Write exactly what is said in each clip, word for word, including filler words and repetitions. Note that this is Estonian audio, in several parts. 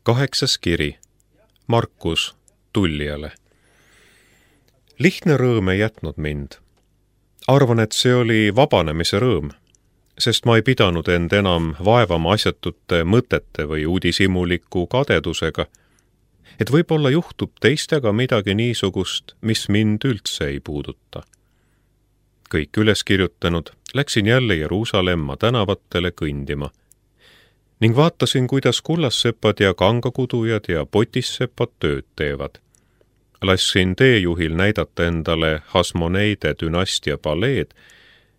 Kaheksas kiri Markus Tullijale. Lihtne rõõm ei jätnud mind. Arvan, et see oli vabanemise rõõm, sest ma ei pidanud end enam vaevama asjatute mõtete või uudishimuliku kadedusega, et võib-olla juhtub teistega midagi niisugust, mis mind üldse ei puuduta. Kõik üles kirjutanud, läksin jälle Jeruusalemma tänavatele kõndima ning vaatasin, kuidas kullassepad ja kangakudujad ja potissepad tööd teevad. Lassin teejuhil näidata endale Hasmoneide dünastia paleed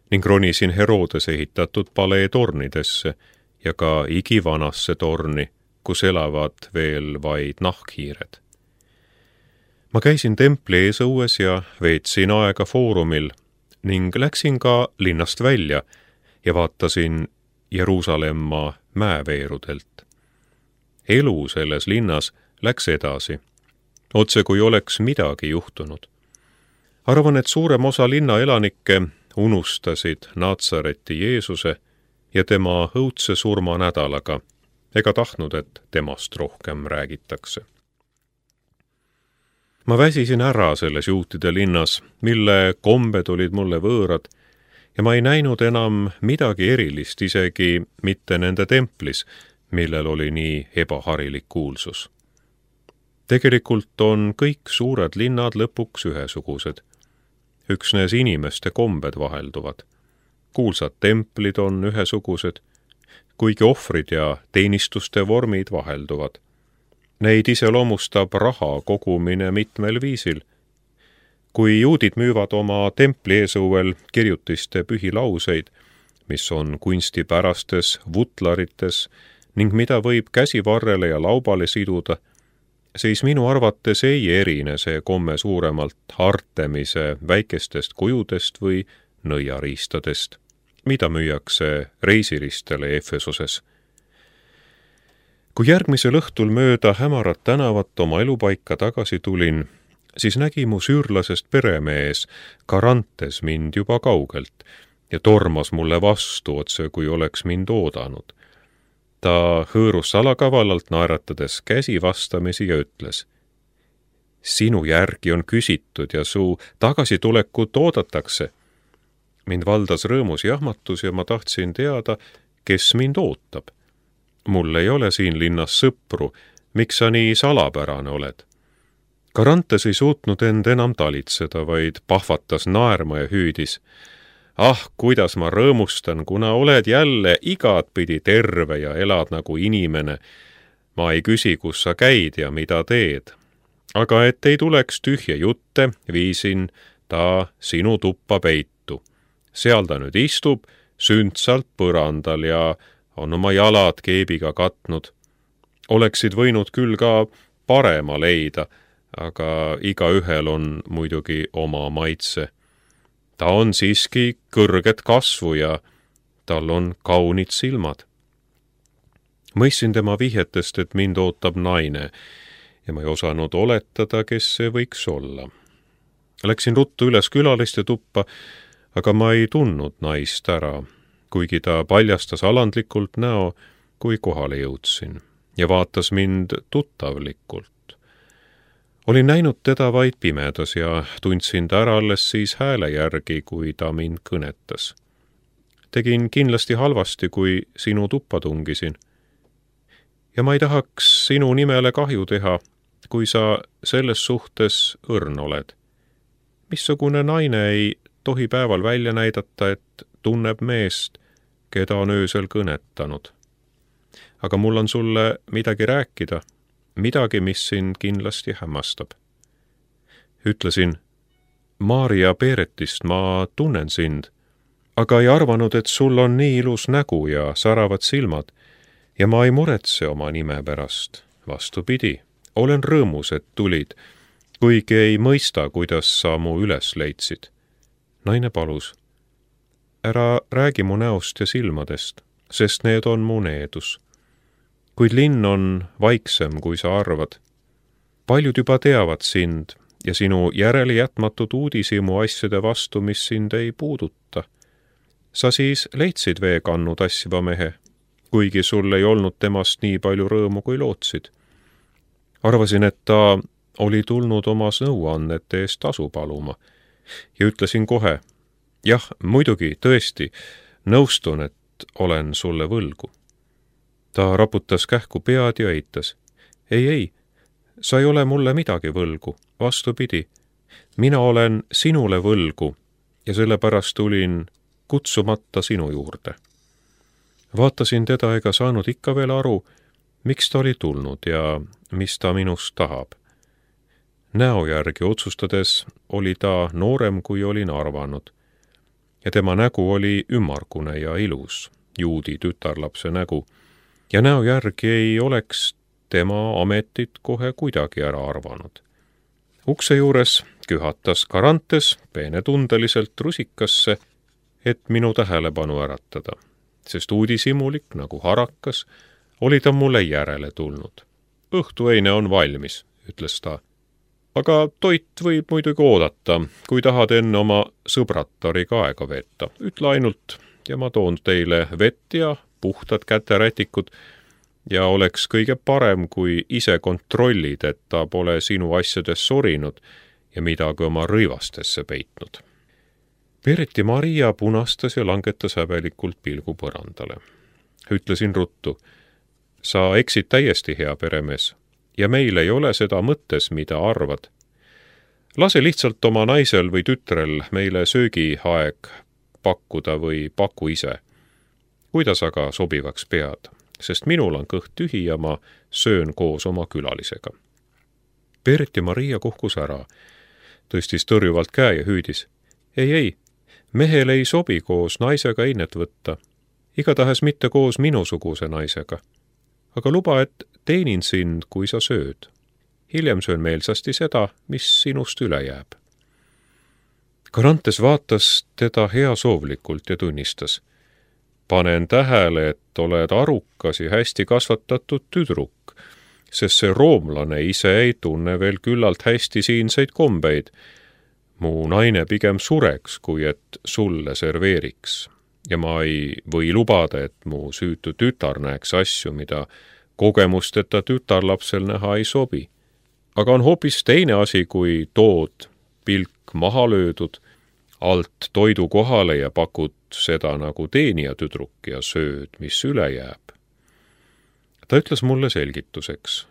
ning ronisin Herodes ehitatud palee tornidesse ja ka igivanasse torni, kus elavad veel vaid nahkhiired. Ma käisin templi eesõues ja veetsin aega foorumil ning läksin ka linnast välja ja vaatasin Jeruusalemma mäeveerudelt. Elu selles linnas läks edasi, otse kui oleks midagi juhtunud. Arvan, et suurem osa linna elanikke unustasid Natsareti Jeesuse ja tema õudse surma nädalaga, ega tahtnud, et temast rohkem räägitakse. Ma väsisin ära selles juutide linnas, mille kombed olid mulle võõrad, ja ma ei näinud enam midagi erilist isegi mitte nende templis, millel oli nii ebaharilik kuulsus. Tegelikult on kõik suured linnad lõpuks ühesugused. Üksnes inimeste kombed vahelduvad. Kuulsad templid on ühesugused, kuigi ohvrid ja teenistuste vormid vahelduvad. Neid iseloomustab raha kogumine mitmel viisil. Kui juudid müüvad oma templi eesõuel kirjutiste pühilauseid, mis on kunstipärastes vutlarites ning mida võib käsivarrele ja laubale siduda, siis minu arvates ei erine see komme suuremalt Artemise väikestest kujudest või nõiariistadest, mida müüakse reisiristele Efesoses. Kui järgmisel õhtul mööda hämarat tänavat oma elupaika tagasi tulin, siis nägi mu süürlasest peremees Karantes mind juba kaugelt ja tormas mulle vastu otse, kui oleks mind oodanud. Ta hõõrus salakavalalt naeratades käsi vastamisi ja ütles: "Sinu järgi on küsitud ja su tagasitulekut oodatakse." Mind valdas rõõmus jahmatus ja ma tahtsin teada, kes mind ootab. Mul ei ole siin linnas sõpru, miks sa nii salapärane oled? Karantes ei suutnud end enam talitseda, vaid pahvatas naerma ja hüüdis: "Ah, kuidas ma rõõmustan, kuna oled jälle igatpidi terve ja elad nagu inimene. Ma ei küsi, kus sa käid ja mida teed. Aga et ei tuleks tühje jutte, viisin ta sinu tuppa peitu. Seal ta nüüd istub, sündsalt põrandal ja on oma jalad keebiga katnud. Oleksid võinud küll ka parema leida, aga igaühel on muidugi oma maitse. Ta on siiski kõrget kasvu ja tal on kaunid silmad." Mõistsin tema vihjetest, et mind ootab naine ja ma ei osanud oletada, kes see võiks olla. Läksin ruttu üles külaliste tuppa, aga ma ei tundnud naist ära, kuigi ta paljastas alandlikult näo, kui kohale jõudsin ja vaatas mind tuttavlikult. Olin näinud teda vaid pimedas ja tundsin ta ära alles siis hääle järgi, kui ta mind kõnetas. Tegin kindlasti halvasti, kui sinu tuppa tungisin. Ja ma ei tahaks sinu nimele kahju teha, kui sa selles suhtes õrn oled. Missugune naine ei tohi päeval välja näidata, et tunneb meest, keda on öösel kõnetanud. Aga mul on sulle midagi rääkida, midagi, mis sind kindlasti hämmastab. Ütlesin: "Maria Peretist ma tunnen sind, aga ei arvanud, et sul on nii ilus nägu ja säravad silmad ja ma ei muretse oma nime pärast. Vastupidi, olen rõõmus, et tulid, kuigi ei mõista, kuidas sa mu üles leidsid." Naine palus: "Ära räägi mu näost ja silmadest, sest need on mu needus. Kuid linn on vaiksem, kui sa arvad. Paljud juba teavad sind ja sinu järelejätmatud uudishimu asjade vastu, mis sind ei puuduta. Sa siis leidsid veekannu tassiva mehe, kuigi sul ei olnud temast nii palju rõõmu, kui lootsid. Arvasin, et ta oli tulnud oma nõuannete eest tasu paluma ja ütlesin kohe, jah, muidugi, tõesti, nõustun, et olen sulle võlgu. Ta raputas kähku pead ja eitas. Ei, ei, sa ei ole mulle midagi võlgu, vastupidi. Mina olen sinule võlgu ja sellepärast tulin kutsumata sinu juurde. Vaatasin teda ega saanud ikka veel aru, miks ta oli tulnud ja mis ta minust tahab. Näo järgi otsustades oli ta noorem, kui olin arvanud. Ja tema nägu oli ümmargune ja ilus, juudi tütarlapse nägu, ja näo järgi ei oleks tema ametit kohe kuidagi ära arvanud. Ukse juures kühatas Karantes peenetundeliselt rusikasse, et minu tähelepanu äratada, sest uudishimulik nagu harakas oli ta mulle järele tulnud. Õhtueine on valmis, ütles ta. Aga toit võib muidugi oodata, kui tahad enne oma sõbratariga aega veeta. Ütle ainult ja ma toon teile vett ja puhtad käterätikud ja oleks kõige parem, kui ise kontrollid, et ta pole sinu asjades sorinud ja midagi oma rõivastesse peitnud. Pereti Maria punastas ja langetas häbelikult pilgu põrandale. Ütlesin ruttu, sa eksid täiesti, hea peremees, ja meil ei ole seda mõttes, mida arvad. Lase lihtsalt oma naisel või tütrel meile söögiaeg pakkuda või paku ise. Kuidas aga sobivaks pead, sest minul on kõht tühi ja ma söön koos oma külalisega. Pereti Maria kuhkus ära, tõstis tõrjuvalt käe ja hüüdis. Ei, ei, mehel ei sobi koos naisega einet võtta, igatahes mitte koos minusuguse naisega. Aga luba, et teenin sind, kui sa sööd. Hiljem söön meelsasti seda, mis sinust üle jääb. Karantes vaatas teda heasoovlikult ja tunnistas. Panen tähele, et oled arukas ja hästi kasvatatud tüdruk, sest see roomlane ise ei tunne veel küllalt hästi siinseid kombeid. Mu naine pigem sureks, kui et sulle serveeriks. Ja ma ei või lubada, et mu süütu tütar näeks asju, mida kogemusteta tütarlapsel näha ei sobi. Aga on hoopis teine asi, kui tood pilk maha löödud, alt toidu kohale ja pakud seda nagu teenija tüdruk ja sööd, mis üle jääb. Ta ütles mulle selgituseks.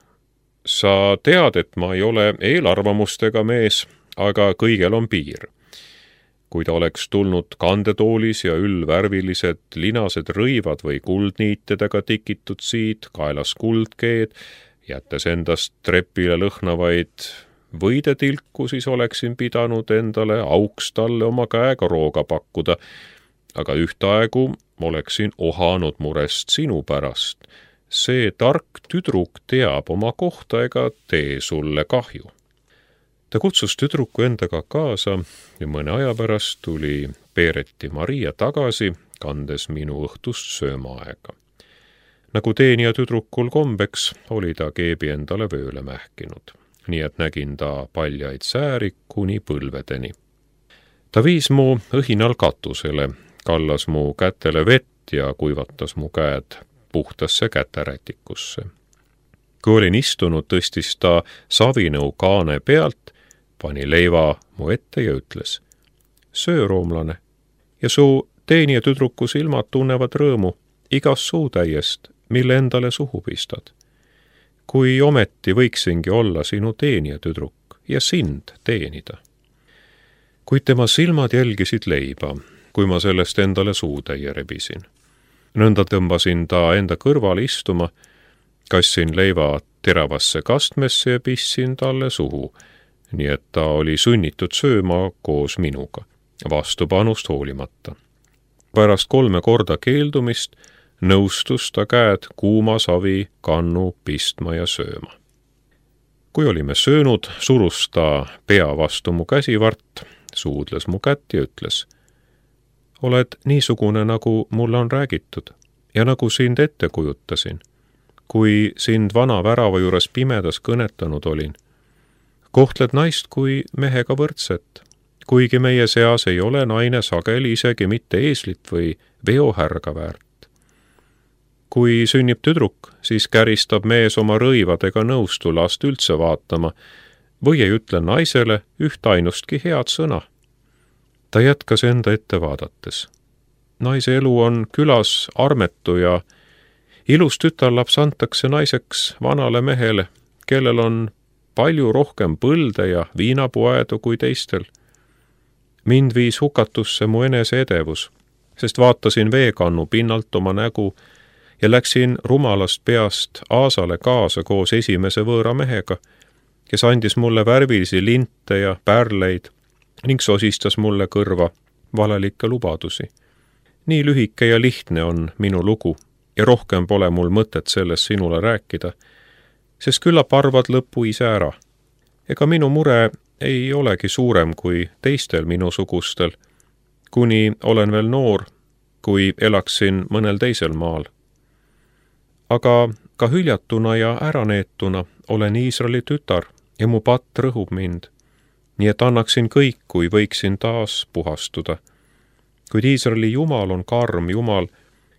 Sa tead, et ma ei ole eelarvamustega mees, aga kõigel on piir. Kui ta oleks tulnud kandetoolis ja üllvärvilised linased rõivad või kuldniitedega tikitud siid, kaelas kuldkeed, jättes endast trepile lõhnavaid võidetilku, siis oleksin pidanud endale auks talle oma käega rooga pakkuda, aga ühtaegu oleksin ohanud murest sinu pärast. See tark tüdruk teab oma kohta ega tee sulle kahju. Ta kutsus tüdruku endaga kaasa ja mõne aja pärast tuli Pereti Maria tagasi, kandes minu õhtust söömaaega. Nagu teenija tüdrukul kombeks, oli ta keebi endale vööle mähkinud, nii et nägin ta paljaid sääri kuni põlvedeni. Ta viis mu õhinal katusele, kallas mu kätele vett ja kuivatas mu käed puhtasse käterätikusse. Kui olin istunud, tõstis ta savinõu kaane pealt, pani leiva mu ette ja ütles, söö, roomlane, ja su teenija tüdruku silmad tunnevad rõõmu igas suutäiest, mille endale suhu pistad. Kui ometi võiksingi olla sinu teenija tüdruk ja sind teenida. Kuid tema silmad jälgisid leiba, kui ma sellest endale suutäie rebisin. Nõnda tõmbasin ta enda kõrval istuma, kassin leiva teravasse kastmesse ja pissin talle suhu, nii et ta oli sunnitud sööma koos minuga, vastupanust hoolimata. Pärast kolme korda keeldumist nõustus ta käed kuuma savi kannu pistma ja sööma. Kui olime söönud, surus ta pea vastu mu käsivart, suudles mu kätt ja ütles, oled niisugune, nagu mulle on räägitud ja nagu sind ette kujutasin, kui sind vana värava juures pimedas kõnetanud olin. Kohtled naist kui mehega võrdset, kuigi meie seas ei ole naine sageli isegi mitte eeslit või veohärga väärt. Kui sünnib tüdruk, siis käristab mees oma rõivadega nõustu last üldse vaatama või ei ütle naisele üht ainustki head sõna. Ta jätkas enda ette vaadates. Naise elu on külas armetu ja ilus tütarlaps antakse naiseks vanale mehele, kellel on palju rohkem põlde ja viinapuaedu kui teistel. Mind viis hukatusse mu enese edevus, sest vaatasin veekannu pinnalt oma nägu ja läksin rumalast peast Aasale kaasa koos esimese võõra mehega, kes andis mulle värvilisi linte ja pärleid ning sosistas mulle kõrva valelikke lubadusi. Nii lühike ja lihtne on minu lugu ja rohkem pole mul mõtet sellest sinule rääkida, sest küllap arvad lõpu ise ära. Ega minu mure ei olegi suurem kui teistel minusugustel, kuni olen veel noor, kui elaksin mõnel teisel maal. Aga ka hüljatuna ja äraneetuna olen Iisraeli tütar ja mu patt rõhub mind, nii et annaksin kõik, kui võiksin taas puhastuda. Kuid Iisraeli Jumal on karm Jumal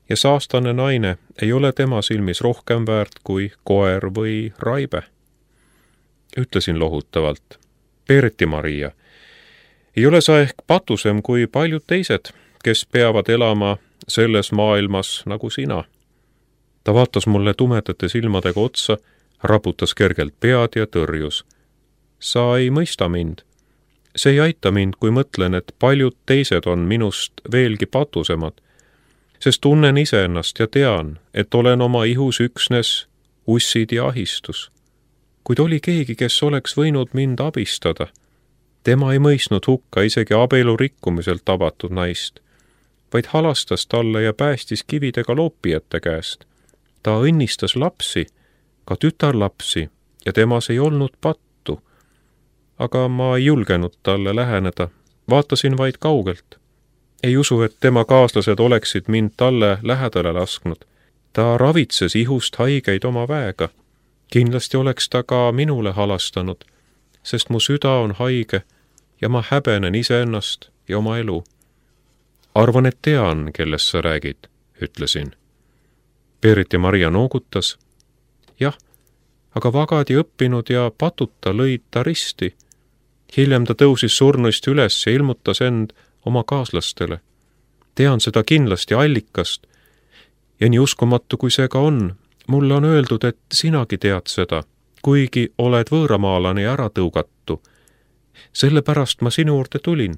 ja saastane naine ei ole tema silmis rohkem väärt kui koer või raibe. Ütlesin lohutavalt, Peereti Maria, ei ole sa ehk patusem kui paljud teised, kes peavad elama selles maailmas nagu sina. Ta vaatas mulle tumedate silmadega otsa, raputas kergelt pead ja tõrjus. Sa ei mõista mind. See ei aita mind, kui mõtlen, et paljud teised on minust veelgi patusemad, sest tunnen iseennast ja tean, et olen oma ihus üksnes ussid ja ahistus. Kuid oli keegi, kes oleks võinud mind abistada. Tema ei mõistnud hukka isegi abielu rikkumiselt tabatud naist, vaid halastas talle ja päästis kividega loopijate käest. Ta õnnistas lapsi, ka tütarlapsi, ja temas ei olnud pattu. Aga ma ei julgenud talle läheneda, vaatasin vaid kaugelt. Ei usu, et tema kaaslased oleksid mind talle lähedale lasknud. Ta ravitses ihust haigeid oma väega. Kindlasti oleks ta ka minule halastanud, sest mu süda on haige ja ma häbenen iseennast ja oma elu. Arvan, et tean, kellest sa räägid, ütlesin. Peereti Maria noogutas. Jah, aga vagadi õppinud ja patuta lõid ta risti. Hiljem ta tõusis surnuist üles ja ilmutas end oma kaaslastele. Tean seda kindlasti allikast ja nii uskumatu, kui see ka on, mulle on öeldud, et sinagi tead seda, kuigi oled võõramaalane ja äratõugatu. Sellepärast ma sinu juurde tulin.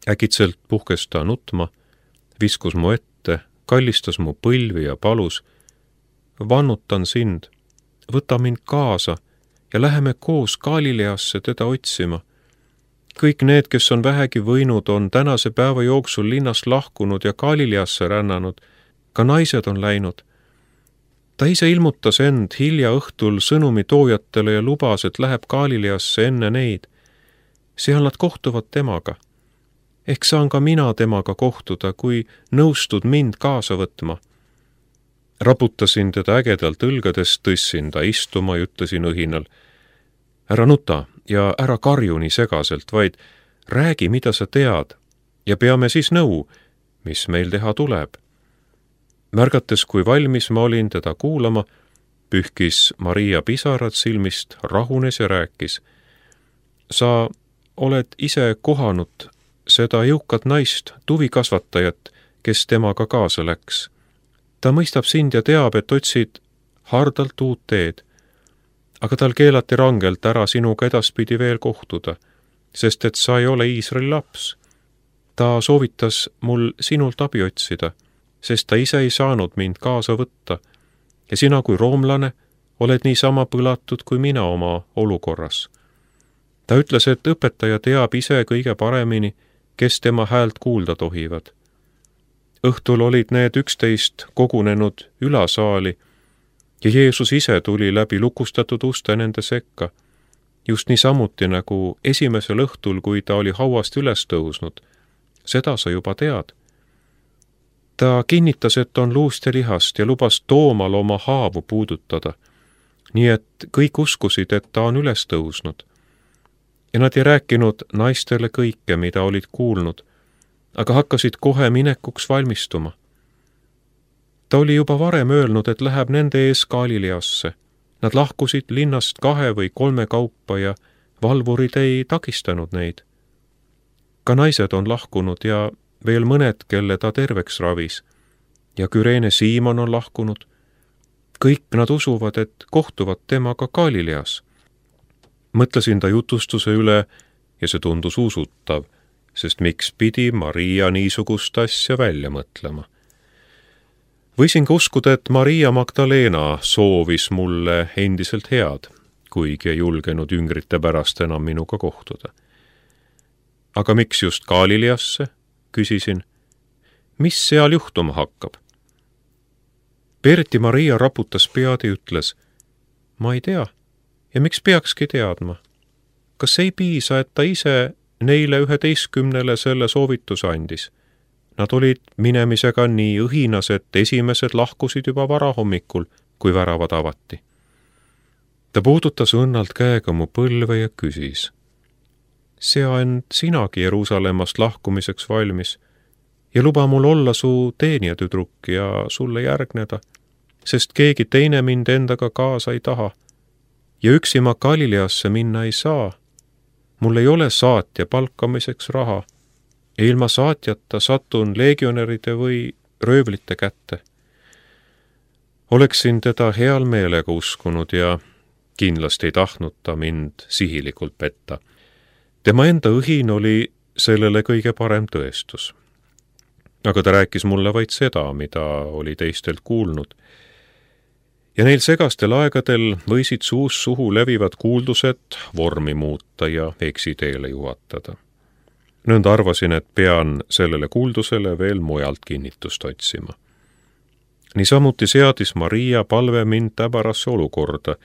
Äkitselt puhkes ta nutma, viskus mu ette, kallistas mu põlvi ja palus. Vannutan sind, võta mind kaasa ja läheme koos Galileasse teda otsima. Kõik need, kes on vähegi võinud, on tänase päeva jooksul linnast lahkunud ja Galileasse rännanud. Ka naised on läinud. Ta ise ilmutas end hilja õhtul sõnumi toojatele ja lubas, et läheb Galileasse enne neid. Seal nad kohtuvad temaga. Ehk saan ka mina temaga kohtuda, kui nõustud mind kaasa võtma. Raputasin teda ägedalt õlgadest, tõssin ta istuma ja ütlesin õhinal. Ära nuta ja ära karju nii segaselt, vaid räägi, mida sa tead ja peame siis nõu, mis meil teha tuleb. Märgates, kui valmis ma olin teda kuulama, pühkis Maria pisarad silmist, rahunes ja rääkis. Sa oled ise kohanud seda jõukat naist, tuvikasvatajat, kes temaga kaasa läks. Ta mõistab sind ja teab, et otsid hardalt uut teed, aga tal keelati rangelt ära sinuga edaspidi veel kohtuda, sest et sa ei ole Iisraeli laps. Ta soovitas mul sinult abi otsida, sest ta ise ei saanud mind kaasa võtta ja sina kui roomlane oled niisama põlatud kui mina oma olukorras. Ta ütles, et õpetaja teab ise kõige paremini, kes tema häält kuulda tohivad. Õhtul olid need üksteist kogunenud ülasaali ja Jeesus ise tuli läbi lukustatud uste nende sekka, just niisamuti nagu esimesel õhtul, kui ta oli hauast üles tõusnud. Seda sa juba tead. Ta kinnitas, et on luust ja lihast ja lubas Toomal oma haavu puudutada, nii et kõik uskusid, et ta on üles tõusnud. Ja nad ei rääkinud naistele kõike, mida olid kuulnud, aga hakkasid kohe minekuks valmistuma. Ta oli juba varem öelnud, et läheb nende ees Galileasse. Nad lahkusid linnast kahe või kolme kaupa ja valvurid ei takistanud neid. Ka naised on lahkunud ja veel mõned, kelle ta terveks ravis. Ja Küreene Siimon on lahkunud. Kõik nad usuvad, et kohtuvad temaga Galileas. Mõtlesin ta jutustuse üle ja see tundus usutav, sest miks pidi Maria niisugust asja välja mõtlema. Võisin ka uskuda, et Maria Magdalena soovis mulle endiselt head, kuigi ei julgenud jüngrite pärast enam minuga kohtuda. Aga miks just Galileasse, küsisin. Mis seal juhtuma hakkab? Berti Maria raputas pead ja ütles, ma ei tea, ja miks peakski teadma? Kas ei piisa, et ta ise neile üheteistkümnele selle soovituse andis? Nad olid minemisega nii õhinas, et esimesed lahkusid juba varahommikul, kui väravad avati. Ta puudutas õnnalt käega mu põlve ja küsis. Sea end sinagi Jeruusalemmast lahkumiseks valmis ja luba mul olla su teenijatüdruk ja sulle järgneda, sest keegi teine mind endaga kaasa ei taha. Ja üksi ma Galileasse minna ei saa. Mul ei ole saatja palkamiseks raha. Ja ilma saatjata satun legionäride või röövlite kätte. Oleksin teda heal meelega uskunud ja kindlasti ei tahtnud ta mind sihilikult petta. Tema enda õhin oli sellele kõige parem tõestus. Aga ta rääkis mulle vaid seda, mida oli teistelt kuulnud. Ja neil segastel aegadel võisid suus suhu levivad kuuldused vormi muuta ja eksiteele juhatada. Nõnda arvasin, et pean sellele kuuldusele veel mujalt kinnitust otsima. Niisamuti seadis Maria palve mind täbarasse olukorda,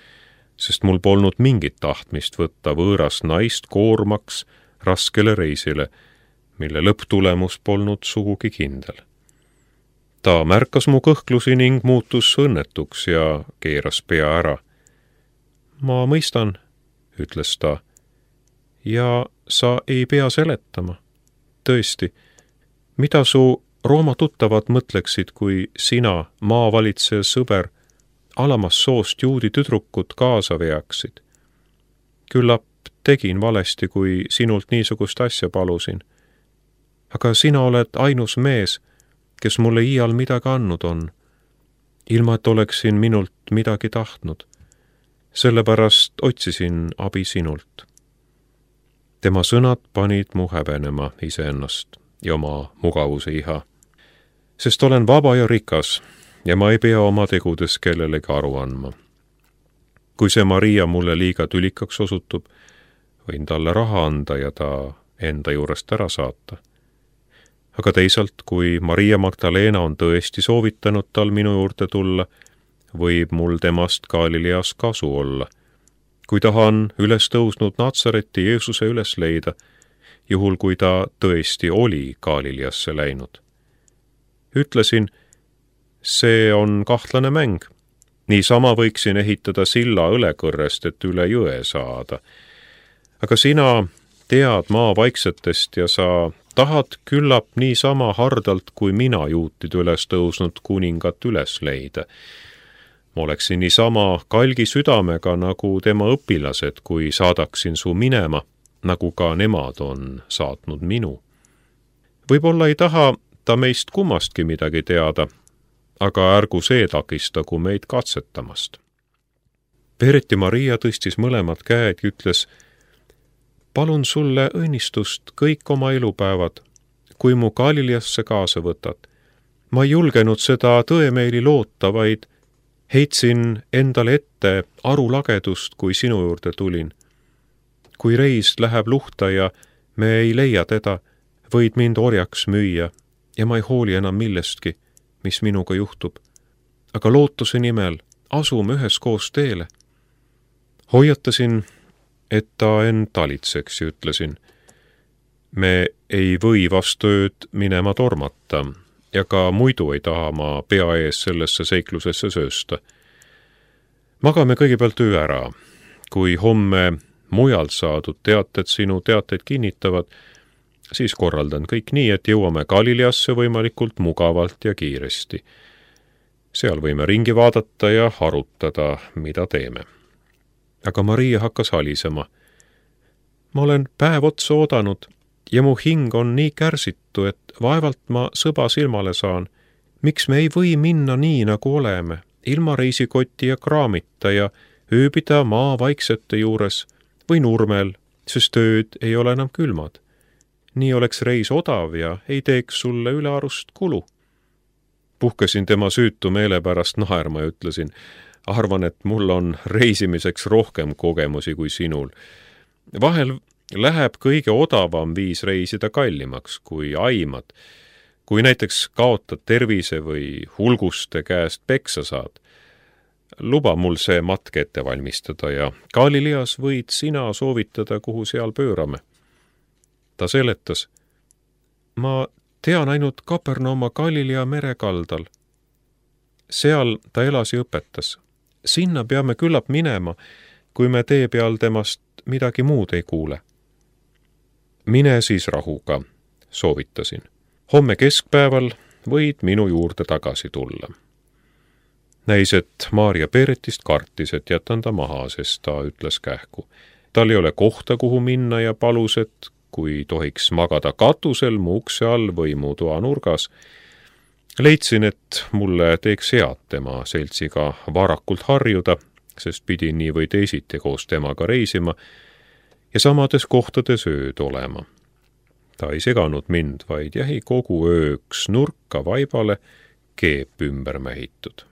sest mul polnud mingit tahtmist võtta võõras naist koormaks raskele reisile, mille lõpptulemus polnud sugugi kindel. Ta märkas mu kõhklusi ning muutus õnnetuks ja keeras pea ära. Ma mõistan, ütles ta, ja sa ei pea seletama. Tõesti, mida su Rooma tuttavad mõtleksid, kui sina, maavalitseja sõber, alamas soost juudi tüdrukut kaasa veaksid? Küllap tegin valesti, kui sinult niisugust asja palusin. Aga sina oled ainus mees, kes mulle iial midagi andnud on, ilma et oleksin minult midagi tahtnud. Sellepärast otsisin abi sinult. Tema sõnad panid mu häbenema iseennast ja oma mugavuse iha. Sest olen vaba ja rikas ja ma ei pea oma tegudes kellelegi aru andma. Kui see Maria mulle liiga tülikaks osutub, võin talle raha anda ja ta enda juurest ära saata. Aga teisalt, kui Maria Magdalena on tõesti soovitanud tal minu juurde tulla, võib mul temast Galileas kasu olla. Kui tahan üles tõusnud Natsareti Jeesuse üles leida, juhul kui ta tõesti oli Galileasse läinud. Ütlesin, see on kahtlane mäng. Niisama võiksin ehitada silla õlekõrrest, et üle jõe saada. Aga sina tead maa vaiksetest ja sa tahad küllap niisama hardalt, kui mina juutid üles tõusnud kuningat üles leida. Ma oleksin niisama kalgi südamega nagu tema õpilased, kui saadaksin su minema, nagu ka nemad on saatnud minu. Võib-olla ei taha ta meist kummastki midagi teada, aga ärgu see takistagu meid katsetamast. Berti Maria tõstis mõlemad käed ja ütles, palun sulle õnnistust kõik oma elupäevad, kui mu Galileasse kaasa võtad. Ma ei julgenud seda tõemeeli loota, vaid heitsin endale ette arulagedust, kui sinu juurde tulin. Kui reis läheb luhta ja me ei leia teda, võid mind orjaks müüa ja ma ei hooli enam millestki, mis minuga juhtub. Aga lootuse nimel asume üheskoos teele. Hoiatasin, et ta end talitseks ja ütlesin, me ei või vastu ööd minema tormata ja ka muidu ei taha ma pea ees sellesse seiklusesse söösta. Magame kõigepealt öö ära. Kui homme mujalt saadud teated sinu teateid kinnitavad, siis korraldan kõik nii, et jõuame Galileasse võimalikult mugavalt ja kiiresti. seal võime ringi vaadata ja arutada, mida teeme. Aga Maria hakkas halisema. Ma olen päev otsa oodanud ja mu hing on nii kärsitu, et vaevalt ma sõba silmale saan. Miks me ei või minna nii, nagu oleme, ilma reisikoti ja kraamita ja ööbida maa vaiksete juures või nurmel, sest ööd ei ole enam külmad. Nii oleks reis odav ja ei teeks sulle ülearust kulu. Puhkesin tema süütu meele pärast naerma ja ütlesin, arvan, et mul on reisimiseks rohkem kogemusi kui sinul. Vahel läheb kõige odavam viis reisida kallimaks, kui aimad. Kui näiteks kaotad tervise või hulguste käest peksa saad, luba mul see matk ette valmistada ja Galileas võid sina soovitada, kuhu seal pöörame. Ta seletas, ma tean ainult Kapernauma Galilea merekaldal. Seal ta elas ja õpetas. Sinna peame küllap minema, kui me tee peal temast midagi muud ei kuule. Mine siis rahuga, soovitasin. Homme keskpäeval võid minu juurde tagasi tulla. Näis, et Maarja Peretist kartis, et jätan ta maha, sest ta ütles kähku. Tal ei ole kohta, kuhu minna ja palus, et kui tohiks magada katusel mu ukse all või mu toa nurgas. Leidsin, et mulle teeks head tema seltsiga varakult harjuda, sest pidin nii või teisiti koos temaga reisima ja samades kohtades ööd olema. Ta ei seganud mind, vaid jäi kogu ööks nurka vaibale keep ümber mähitud.